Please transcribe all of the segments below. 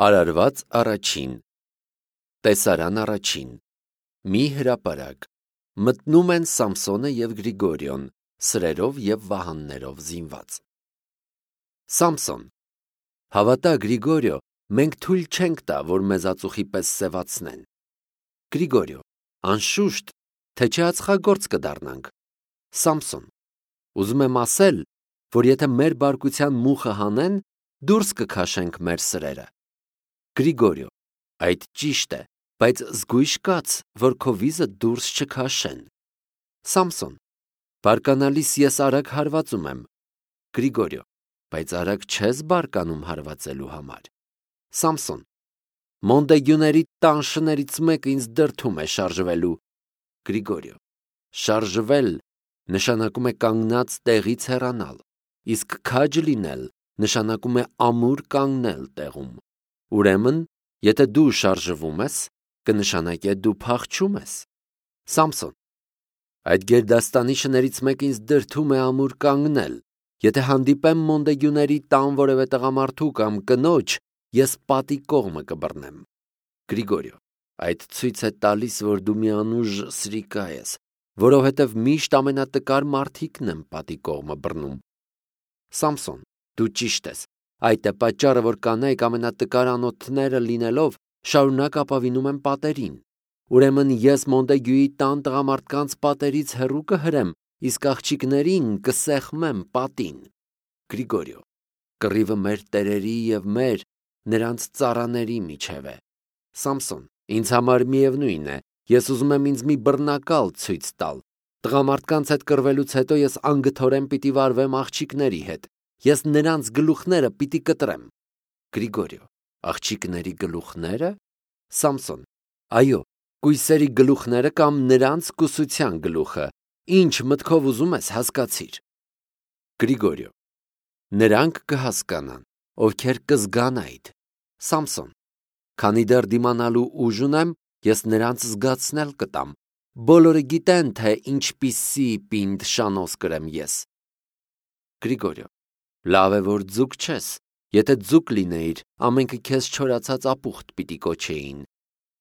Արարված առաջին, տեսարան առաջին, մի հրապարակ, մտնում են Սամսոնը և Գրիգորիոն, սրերով և վահաններով զինված։ Սամսոն, հավատա Գրիգորիո, մենք թույլ չենք տա, որ մեզ ածուխի պես սևացնեն։ Գրիգորիո, անշուշտ, թե չէ ածխագործ կդառնանք։ Սամսոն, ուզում եմ ասել, որ եթե մեր բարկության մուխը հանեն, դուրս կքաշենք մեր սրերը։ Գրիգորիո, այդ ճիշտ է, բայց զգույշ կաց, որ քո վիզը դուրս չքաշեն։ Սամսոն, բարկանալիս ես արագ հարվածում եմ։ Գրիգորիո, բայց արագ չես բարկանում հարվածելու համար։ Սամսոն, Մոնդեգյուների տանշներից մեկը ինձ դրդում է շարժվելու։ Գրիգորիո, շարժվել նշանակում է կանգնած տեղից հեռանալ, իսկ քաջ լինել նշանակում է ամուր կանգնել տեղում։ Ուրեմն, եթե դու շարժվում ես, կնշանակե դու փախչում ես։ Սամսոն, այդ գերդաստանի շներից մեկը ինձ դրդում է ամուր կանգնել։ Եթե հանդիպեմ Մոնդեգյուների տան որևէ տղամարդու կամ կնոջ, ես պատի կողմը կբռնեմ։ Գրիգորիո, այդ ցույց է տալիս, որ դու մի անուժ սրիկա ես, որովհետև միշտ ամենատկար մարդիկն են պատի կողմը բռնում։ Սամսոն, դու ճիշտ ես, այդ է պատճառը, որ կանայք ամենատկար անոթները լինելով շարունակ ապավինում են պատերին։ Ուրեմն ես Մոնդեգյուի տան տղամարդկանց պատերից հեռու կհրեմ, իսկ աղջիկներին կսեղմեմ պատին։ Գրիգորիո, կռիվը մեր տերերի և մեր, նրանց ծառաների միջև է։ Սամսոն, ինձ համար միևնույն է, ես ուզում եմ ինձ մի բռնակալ ցույց տալ։ Տղամարդկանց հետ կռվելուց հետո ես անգթորեն պիտի վարվեմ աղջիկների հետ։ Ես նրանց գլուխները պիտի կտրեմ։ Գրիգորիո, աղջիկների գլուխները։ Սամսոն, այո, կույսերի գլուխները կամ նրանց կուսության գլուխը, ինչ մտքով ուզում ես հասկացիր։ Գրիգորիո, նրանք կհասկանան, ովքեր կզգան այդ։ Սամսոն, քանի դեռ դիմանալու ուժ ունեմ, ես նրանց զգացնել կտամ։ Բոլորը գիտեն, թե ինչպիսի պինդ շանոց կրեմ ես։ Գրիգորիո, լավ է, որ ձուկ չես, եթե ձուկ լինեիր, ամենքը քեզ չորացած ապուխտ պիտի կոչեին։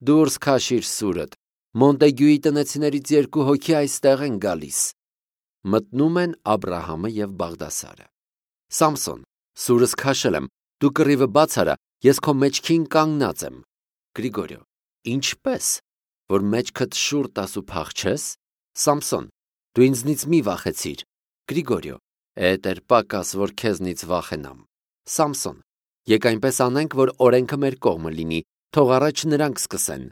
Դուրս քաշիր սուրդ, Մոնդեգյուի տնեցիներից 2 հոգի այստեղ են գալիս։ Մտնում են Աբրահամը և Բաղդասարը։ Սամսոն, սուրս քաշել եմ, դու կռիվը բաց արա, ես քո մեջքին կանգնած եմ։ Գրիգորիո, ինչպես, որ մեջքդ շուռ տաս ու փախչես։ Սամսոն, դու ինձնից մի վախեցիր։ Գրիգորիո, էդ էր պակաս, որ քեզնից վախենամ։ Սամսոն, եկ այնպես անենք, որ օրենքը մեր կողմը լինի, թող առաջ նրանք սկսեն։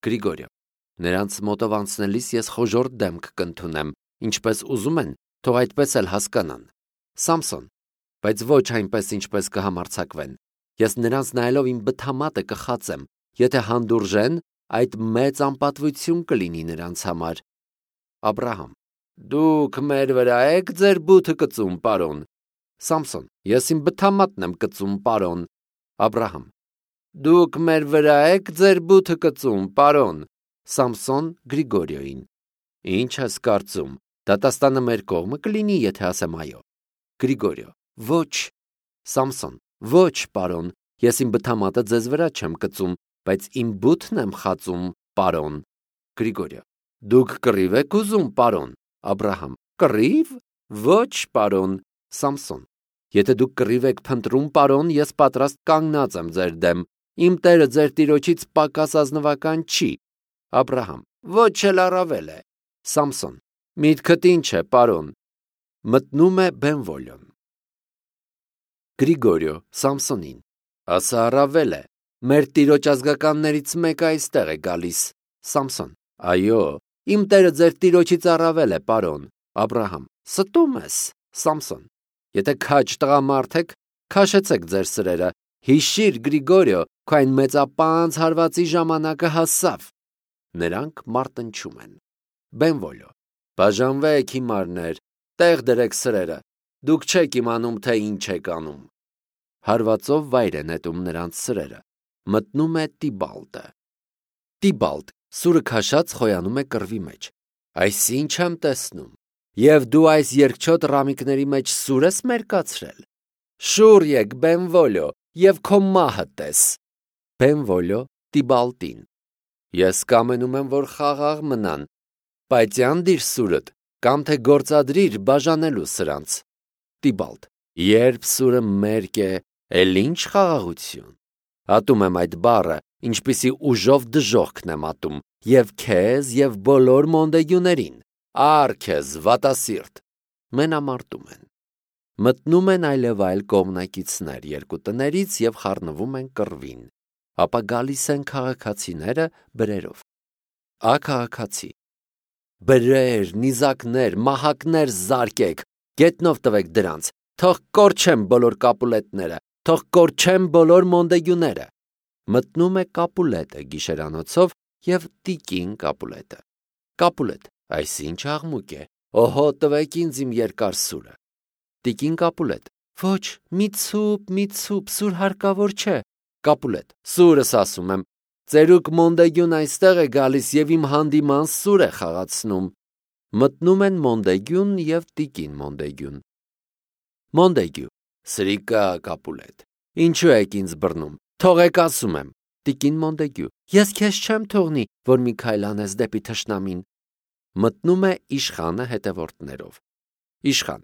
Գրիգորիո, նրանց մոտով անցնելիս ես խոժոռ դեմք կընդունեմ, ինչպես ուզում են, թող այդպես էլ հասկանան։ Սամսոն, բայց ոչ այնպես, ինչպես կհամարձակվեն։ Ես նրանց նայելով իմ բթամատը կխացեմ, եթե հանդուրժեն, այդ մեծ անպատվություն կլինի նրանց համար։ Աբրահամ, դուք մեր վրա եք ձեր բութը կծում, պարոն։ Սամսոն, ես իմ բթամատն եմ կծում, պարոն։ Աբրահամ, դուք մեր վրա եք ձեր բութը կծում, պարոն։ Սամսոն Գրիգորիոյին, ինչ ես կարծում, դատաստանը մեր կողմը կլինի, եթե ասեմ այո։ Գրիգորիո, ոչ։ Սամսոն, ոչ, պարոն, ես իմ բթամատը ձեզ վրա չեմ կծում, բայց իմ բութն եմ խածում, պարոն։ Գրիգորիո, դուք կռիվ եք ուզում, պարոն։ Աբրահամ, կռիվ։ Ոչ, պարոն։ Սամսոն, եթե դուք կռիվ եք փնտրում, պարոն, ես պատրաստ կանգնած եմ ձեր դեմ։ Իմ տերը ձեր տիրոջից պակաս ազնվական չի։ Աբրահամ, ոչ էլ առավել է։ Սամսոն, միտքդ ինչ է, պարոն։ Մտնում է Բենվոլիոն։ Գրիգորիո Սամսոնին, ասա առավել է։ Մեր տիրոջ ազգականներից մեկը այստեղ է գալիս։ Սամսոն, այո, իմ տերը ձեր տիրոջից առավել է, պարոն։ Աբրահամ, ստում ես։ Սամսոն, եթե քաջ տղամարդ եք, քաշեցեք ձեր սրերը։ Հիշիր, Գրիգորիո, քո այն մեծապանծ հարվածի ժամանակը հասավ։ Նրանք մարտնչում են։ Բենվոլիո, բաժանվեք հիմարներ, տեղ դրեք սրերը։ Դուք չեք իմանում, թե ինչ եք անում։ Հարվածով վայր է նետում նրանց սրերը։ Մտնում է Տիբալտը։ Տիբալտ, սուրը քաշած խոյանում է կռվի մեջ։ Այս ինչ եմ տեսնում։ Եվ դու այս երկչոտ ռամիկների մեջ սուր ես մերկացրել։ Շուռ եկ, Բենվոլիո, և քո մահը տես։ Բենվոլյո Տիբալտին. Ես կամենում եմ, որ խաղաղ մնան, բայց անդիր սուրդ, կամ թե գործադրիր բաժանելու սրանց։ Տիբալտ. Երբ սուրը մերկ է, էլ ինչ խաղաղություն։ Ատում եմ այդ բառը, ինչպիսի ուժով դժոխքն եմ ատում, և քեզ, և բոլոր մոնդեգյուներին, առ քեզ վատասիրտ։ Մենամարտում են։ Մտնում են այլևայլ կողմնակիցներ երկու տներից և խառնվում են կռվին, ապա գալիս են քաղաքացիները բրերով։ Ա քաղաքացի. Բրեր, նիզակներ, մահակներ զարկեք, գետնով տվեք դրանց, թող կորչեն բոլոր կապուլետները, թող կորչեն բոլոր մոնդեգյուները։ Մտնում է կապուլետը գիշերանոցով և տիկին կապուլետը։ Կապուլետ, այս ինչ աղմուկ է, օհո, տվեք ինձ իմ երկար սուրը։ Տիկին Կապուլետ. Ոչ, մի ցուպ, սուր հարկավոր չէ։ Կապուլետ. Սուրս ասում եմ, ծերուկ մոնդեգյուն այստեղ է գալիս և իմ հանդիման սուր է խաղացնում։ Մտնում են մոնդեգյուն և տիկին մոնդեգյուն։ Մոնդեգյու. Սրիկա Կապուլետ, ինչու եք ինձ բռնում, թողեք ասում եմ։ Տիկին Մոնդեգյու. Ես քեզ չեմ թողնի, որ մի քայլ անես դեպի թշնամին։ Մտնում է իշխանը հետևորդներով։ Իշխան.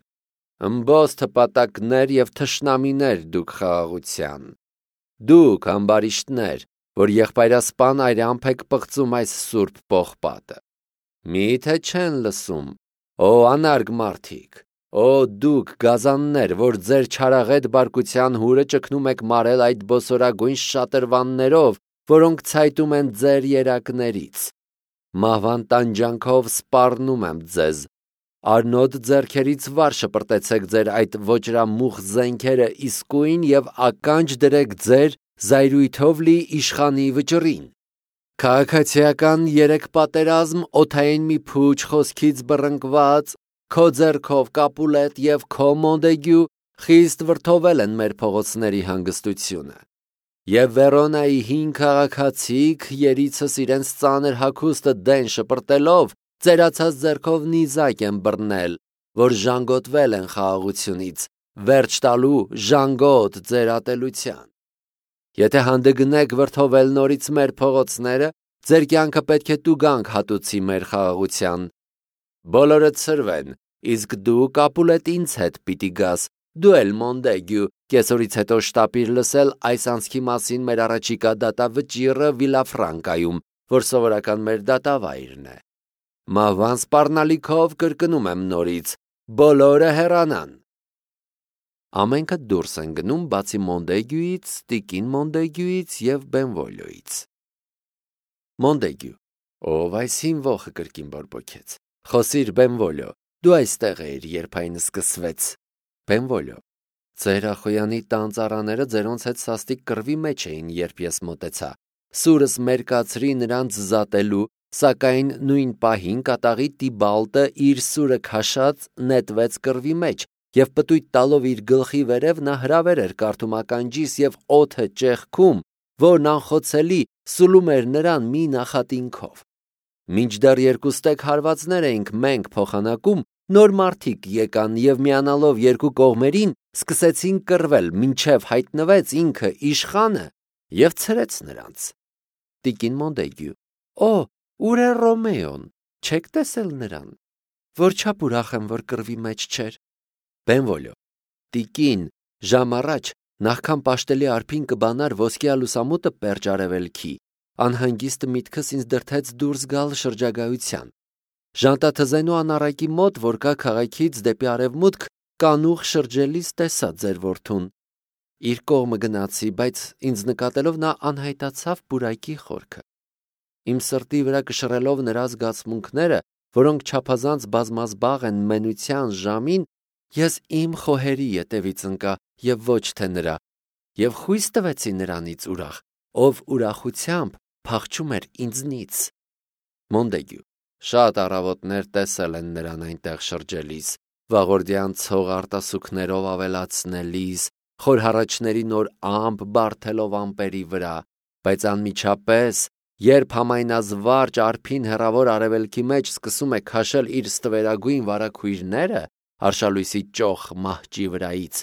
Ըմբոստ հպատակներ և թշնամիներ դուք խաղաղության։ Դուք ամբարիշտներ, որ եղբայրասպան այրամփ եք պղծում այս սուրբ պողպատը։ Մի՞թե չեն լսում, օ անարգ մարդիկ, օ դուք գազաններ, որ ձեր չարաղետ բարկության հուրը ճգնում եք մարել այդ բոսորագույն շատրվաններով, որոնք ցայտում են ձեր երակներից։ Մահվան տանջանքով սպառնում եմ ձեզ։ Արնոտ ձեռքերից վար շպրտեցեք ձեր այդ ոճրամուխ զենքերը իսկույն և ականջ դրեք ձեր զայրույթով լի իշխանի վճռին։ Քաղաքացիական երեք պատերազմ օդային մի փուչ խոսքից բռնկված, քո ձեռքով Կապուլետ և քո Մոնդեգյու խիստ վրդովել են մեր փողոցների հանգստությունը։ Եվ Վերոնայի հին քաղաքացիք երիցս իրենց ծանր հագուստը դեն շպրտելով ծերացած ձեռքով նիզակ են բռնել, որ ժանգոտվել են խաղաղությունից, վերջ տալու ժանգոտ ձեր ատելության։ Եթե հանդգնեք վրդովել նորից մեր փողոցները, ձեր կյանքը պետք է տուգանք հատուցի մեր խաղաղության։ Բոլորը ցրվեն, իսկ դու Կապուլետ ինձ հետ պիտի գաս, դու էլ Մոնդեգյու, կեսօրից հետո շտապիր լսել այս անցքի մասին մեր առաջիկա դատավճիռը Վիլաֆրանկայում, որ սովորական մեր դատավայրն է։ Մահվան սպառնալիքով կրկնում եմ նորից, բոլորը հեռանան։ Ամենքը դուրս են գնում բացի Մոնդեգյուից, տիկին Մոնդեգյուից և Բենվոլյոից։ Մոնդեգյու. Ով այս հինվոխը կրկին բորբոքեց։ Խոսիր Բենվոլյո, դու այստեղ էիր, երբ այն սկսվեց։ Բենվոլյո. Ձեր ախոյանի տան ծառաները ձերոնց հետ սաստիկ կռվի մեջ էին, երբ ես մոտեցա։ Սուրս մերկացրի նրանց զատելու, սակայն նույն պահին կատաղի Տիբալտը իր սուրը քաշած նետվեց կռվի մեջ, և պտույտ տալով իր գլխի վերև նա հրավեր էր կարդում ականջիս և օդը ճեղքում, որն անխոցելի սուլում էր նրան մի նախատինքով։ Մինչդեռ երկուստեք հարվածներ էինք մենք փոխանակում, նոր մարդիկ եկան և միանալով երկու կողմերին սկսեցին կռվել, մինչև հայտնվեց ինքը իշխանը և ցրեց նրանց։ Տիկին Մոնդեգյու. Օ, ուր է Ռոմեոն, չեք տեսել նրան, որչափ ուրախ եմ, որ կռվի մեջ չէր։ Բենվոլյո. Տիկին, ժամ առաջ, նախքան պաշտելի արփին կբանար ոսկյա լուսամուտը պերճ արևելքի, անհանգիստ միտքս ինձ դրդեց դուրս գալ շրջագայության։ Ժանտաթզենու անառակի մոտ, որ կա քաղաքից դեպի արևմուտք, կանուխ շրջելիս տեսա ձեր որդուն։ Իր կողմը գնացի, բայց ինձ նկատելով նա անհայտացավ պուրակի խորքը։ Իմ սրտի վրա կշռելով նրա զգացմունքները, որոնք չափազանց բազմազբաղ են մենության ժամին, ես իմ խոհերի ետևից ընկա և ոչ թե նրա, և խույս տվեցի նրանից ուրախ, ով ուրախությամբ փախչում էր ինձնից։ Մոնդեգյու. Շատ առավոտներ տեսել են նրան այնտեղ շրջելիս, վաղորդյան ցող արտասուքներով ավելացնելիս, խորհառաչների նոր ամպ բարթելով ամպերի վրա, բայց անմիջապես, երբ համայնազվարճ արփին հեռավոր արևելքի մեջ սկսում է քաշել իր ստվերագույն վարագույրները արշալույսի ճոխ մահճի վրայից,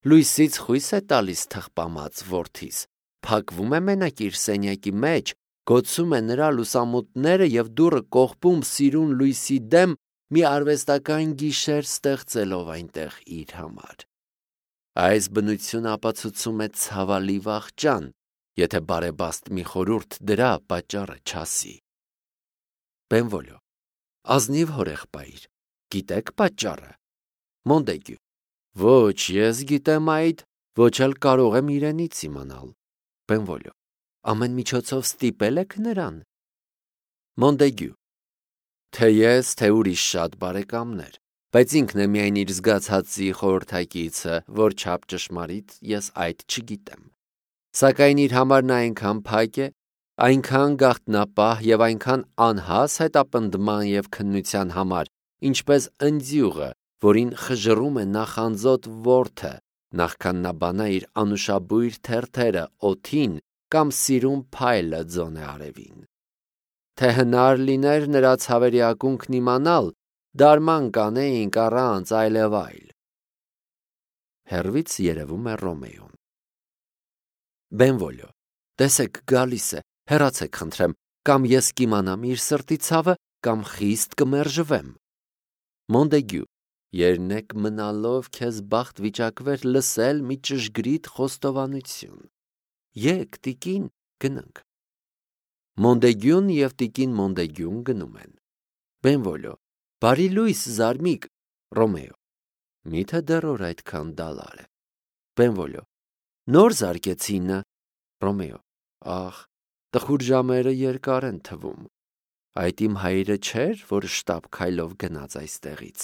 լույսից խույս է տալիս թխպամած որդիս, փակվում է մենակ իր սենյակի մեջ, գոցում է նրա լուսամուտները և դուռը կողպում սիրուն լույսի դեմ մի արվեստական գիշեր ստեղծելով այնտեղ իր համար։ Այս բնությունը ապացուցում է ցավալի վախճան, եթե բարեբաստ մի խորհուրդ դրա պատճառը չասի։ Բենվոլյո. ազնիվ հորեղբայր, գիտեք պատճառը։ Մոնդեգյու. ոչ, ես գիտեմ այդ, ոչ էլ կարող եմ իրենից իմանալ։ Բենվոլյո. ամեն միջոցով ստիպել եք նրան։ Մոնդեգյու. թե ես, թե ուրիշ շատ բարեկամներ, բայց ինքն է միայն իր զգացածի խորհրդակիցը, որ չափ ճշմարիտ ես այդ չգիտեմ։ Սակայն իր համար նա այնքան փակ է, այնքան գաղտնապահ և այնքան անհաս հետապնդման և քննության համար, ինչպես ընձյուղը, որին խժռում է նախանձոտ որդը, նախքան նա բանա իր անուշաբույր թերթերը օդին կամ սիրուն փայլը ձոն է արևին։ Թե հնար լիներ նրա ցավերի ակունքն իմանալ, դարման կանեինք առանց այլևայլ։ Հեռվից երևում է Ռոմեոն։ Բենվոլյո. տեսեք, գալիս է, հեռացեք խնդրեմ, կամ ես կիմանամ իր սրտի ցավը, կամ խիստ կմերժվեմ։ Մոնդեգյու. երնեք մնալով քեզ բախտ վիճակվեր լսել մի ճշգրիտ խոստովանություն։ Եկ, տիկին, գնանք։ Մոնդեգյուն և տիկին Մոնդեգյուն գնում են։ Բենվոլյո. բարի լույս, զարմիկ։ Ռոմեո. միթե դեռ օր այդքան դալար է։ Բենվոլյո. նոր զարկեցինը։ Ռոմեո. ախ, տխուր ժամերը երկար են թվում։ Այդ իմ հայրը չէր, որ շտապ քայլով գնաց այստեղից։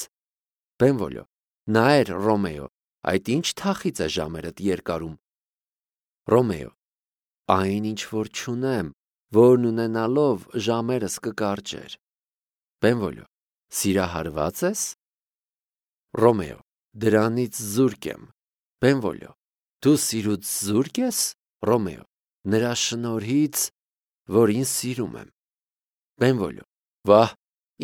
Բենվոլյո. նայր, Ռոմեո, այդ ինչ թախիծ է ժամերդ երկարում։ Ռոմեո. այն ինչ որ չունեմ, որն ունենալով ժամերս կկարճեր։ Բենվոլյո. սիրահարված ես։ Ռոմեո. դրանից զուրկ եմ։ Բենվոլյո. դու սիրուց զուրկ ես։ Ռոմեո. նրա շնորհից, որին սիրում եմ։ Բենվոլյո. վահ,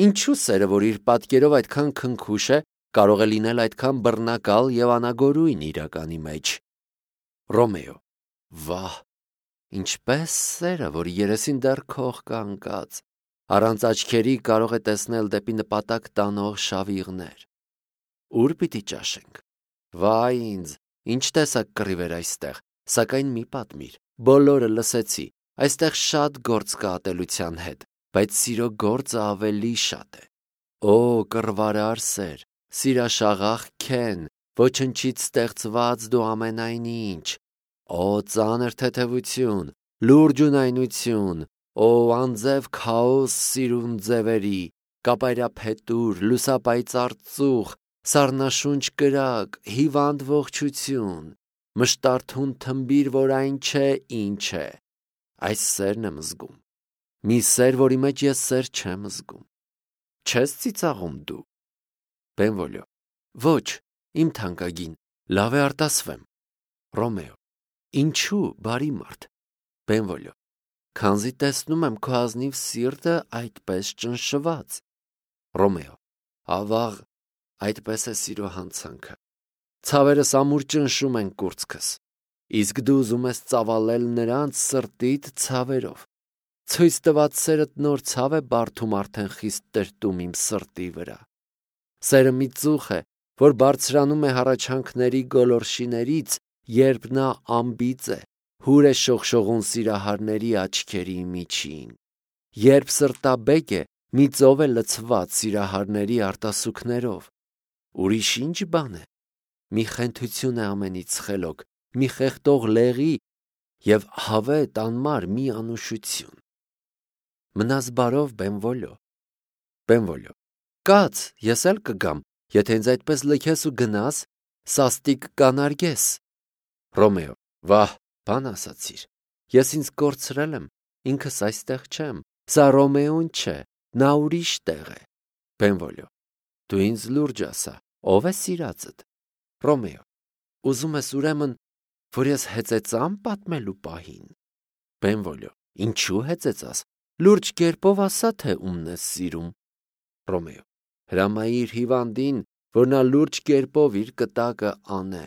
ինչու սերը, որ իր պատկերով այդքան քնքուշ է, կարող է լինել այդքան բռնակալ և անագորույն իրականի մեջ։ Ռոմեո. վահ, ինչպես սերը, որ երեսին դեռ քող կա ընկած, առանց աչքերի կարող է տեսնել դեպի նպատակ տանող շավիղներ։ Ուր պիտի ճաշենք։ Վայ ինձ, ինչ տեսակ կռիվ էր այստեղ, սակայն մի պատմիր, բոլորը լսեցի, այստեղ շատ գործ կա ատելության հետ, բայց սիրո գործը ավելի շատ է։ Օ, կռվարար սեր, սիրաշաղախ քեն, ոչնչից ստեղծված դու ամենայն ինչ։ Օ, ծանր թեթևություն, լուրջ ունայնություն, օ, անձև քաոս սիրուն ձևերի, կապայրափետուր, լուսապայծառ ծուխ, սառնաշունչ կրակ, հիվանդ ողջություն, մշտարթուն թմբիր, որ այն չէ, ինչ է։ Այս սերն եմ զգում։ Մի սեր, որի մեջ ես սեր չեմ զգում։ Չես ծիծաղում դու։ Բենվոլյո. ոչ, իմ թանկագին, լավ է արտասվեմ։ Ռոմեո. ինչու, բարի մարդ։ Բենվոլյո. քանզի տեսնում եմ քո ազնիվ սիրտը այդպես ճնշված։ Ռոմեո. ավաղ, այդպես է սիրո հանցանքը։ Ցավերս ամուր ճնշում են կուրծքս, իսկ դու ուզում ես ծավալել նրանց սրտիդ ցավերով։ Ցույց տված սերդ նոր ցավ է բարդում արդեն խիստ տրտում իմ սրտի վրա։ Սերը մի ծուխ է, որ բարձրանում է հառաչանքների գոլորշիներից, երբ նա անբիծ է, հուր է շողշողուն սիրահարների աչքերի միջին, երբ սրտաբեկ է, մի ծով է լցված սիրահարների արտասուքներով։ Ուրիշ ինչ բան է։ Մի խենթություն է ամենից խելոք, մի խեղդող լեղի և հավետ անմար մի անուշություն։ Մնաս բարով, Բենվոլյո։ Բենվոլյո. կաց, ես էլ կգամ, եթե ինձ այդպես լքես ու գնաս, սաստիկ կանարգես։ Ռոմեո. վահ, բան ասացիր, ես ինձ կորցրել եմ, ինքս այստեղ չեմ, սա Ռոմեոն չէ, նա ուրիշ տեղ է։ Բենվոլյո. դու ինձ լուրջ ասա, ով է սիրածդ։ Ռոմեո. ուզում ես ուրեմն, որ ես հեծեծամ պատմելու պահին։ Բենվոլյո. ինչու հեծեծաս, լուրջ կերպով ասա, թե ումն ես սիրում։ Ռոմեո. հրամայիր հիվանդին, որ նա լուրջ կերպով իր կտակը անե։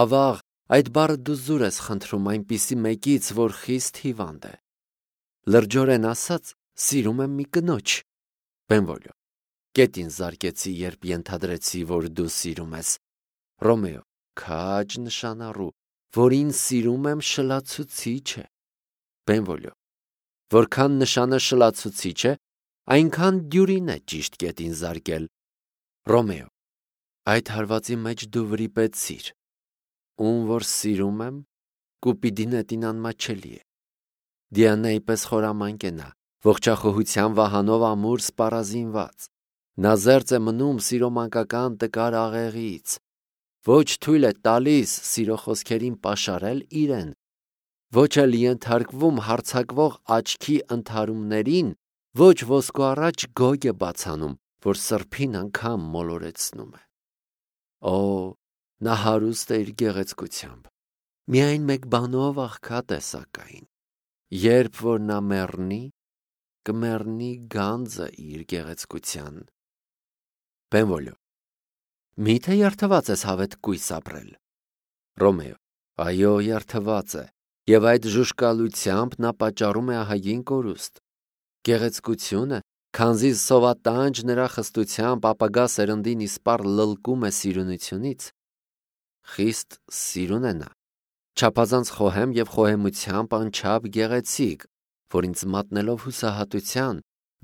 Ավաղ, Այդ բառը դու զուր ես խնդրում այնպիսի մեկից, որ խիստ հիվանդ է։ Լրջորեն ասած, սիրում եմ մի կնոջ։ Բենվոլիո. Կետին զարկեցի, երբ ենթադրեցի, որ դու սիրում ես։ Ռոմեո. Քաջ նշանառու, որ ինձ սիրում եմ շլացուցիչ է։ Բենվոլիո. Որքան նշանը շլացուցիչ է, այնքան դյուրին է ճիշտ կետին զարկել։ Ռոմեո. Այդ հարվածի մեջ դու վրիպեցիր։ Ում որ սիրում եմ, Կուպիդին էտին անմաչելի է։ Դիանայի պես խորամանկ է նա, ողջախոհության վահանով ամուր սպառազինված։ Նա զերծ է մնում սիրո մանկական տկար աղեղից։ Ոչ թույլ է տալիս սիրո խոսքերին պաշարել իրեն, ոչ էլ ենթարկվում հարձակվող աչքի ընդհարումներին, ոչ ոսկու առաջ գոգ է բացանում, որ սրբին անգամ մոլորեցնում է։ Օ, նա հարուստ է իր գեղեցկությամբ։ Միայն մեկ բանով աղքատ է սակայն։ Երբ որ նա մեռնի, կմեռնի գանձը իր գեղեցկության։ Բենվոլիո. Միթե երթված ես հավետ կույս ապրել։ Ռոմեո. Այո, երթված է, եւ այդ ժուշկալությամբ նա պատճառում է ահագին կորուստ։ Գեղեցկությունը, քանզի սովատանջ նրա խստությամբ ապագա սերնդին իսպառ լլկում է սիրունությունից, խիստ սիրուն է նա, չափազանց խոհեմ եւ խոհեմությամբ անչափ գեղեցիկ, որ ինձ մատնելով հուսահատության,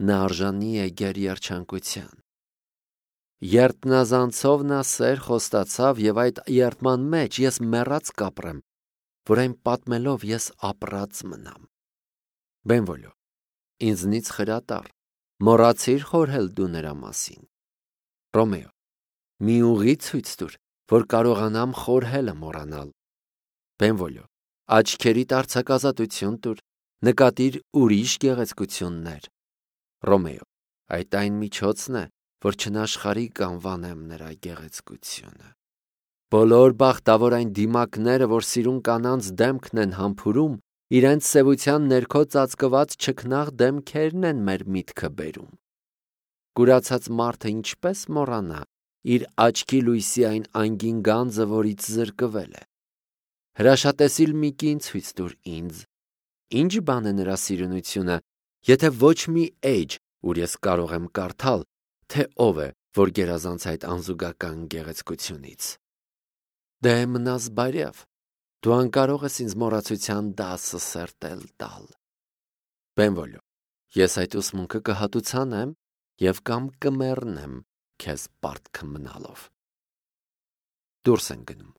նա արժանի է գերերջանկության։ Երտնազանցով նա սեր խոստացավ եւ այդ երդման մեջ ես մեռած կապրեմ, որ այն պատմելով ես ապրած մնամ։ Բենվոլիո. Ինձնից խրատար, մոռացիր խորհել դու նրա մասին։ Ռոմեո. մի ուղի ցույց տուր, որ կարողանամ խորհելը մոռանալ։ Բենվոլիո. աչքերիդ արձակազատություն տուր, նկատիր ուրիշ գեղեցկություններ։ Ռոմեո. այդ այն միջոցն է, որ չնաշխարի կանվանեմ նրա գեղեցկությունը։ Բոլոր բախտավոր այն դիմակները, որ սիրուն կանանց դեմքն են համբուրում, իրենց սևության ներքո ծածկված չքնաղ դեմքերն են մեր միտքը բերում։ Կուրացած մարդը ինչպես մոռանա իր աչքի լույսի այն անգին գանձը, որից զրկվել է։ Հրաշատեսիլ մի կին ցույց տուր ինձ։ Ինչ բան է նրա սիրունությունը, եթե ոչ մի էջ, ուր ես կարող եմ կարդալ, թե ով է, որ գերազանց այդ անզուգական գեղեցկությունից։ Դե մնաս բարյավ, դու անկարող ես ինձ մոռացության դասը սերտել տալ։ Բենվոլիո. ես այդ ուսմունքը կհատուցանեմ եւ կամ կմեռնեմ քեզ պարտքը մնալով։ Դուրս են գնում։